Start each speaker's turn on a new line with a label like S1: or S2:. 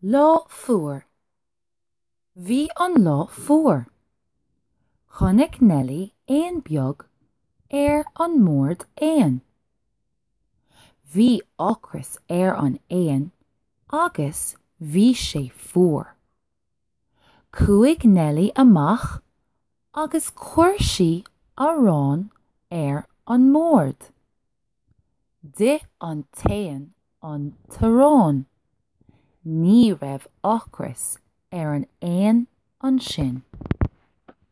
S1: Lá fuar. Bhí an lá fuar. Chonaic Neilí éan beag ar an mbord éan. Bhí ocras ar an éan agus bhí sé fuar. Chuaigh Neilí amach agus chuir sí arán ar an mbord. D'ith an t-éan an t-arán. Ní raibh ocras ar an éan ansin.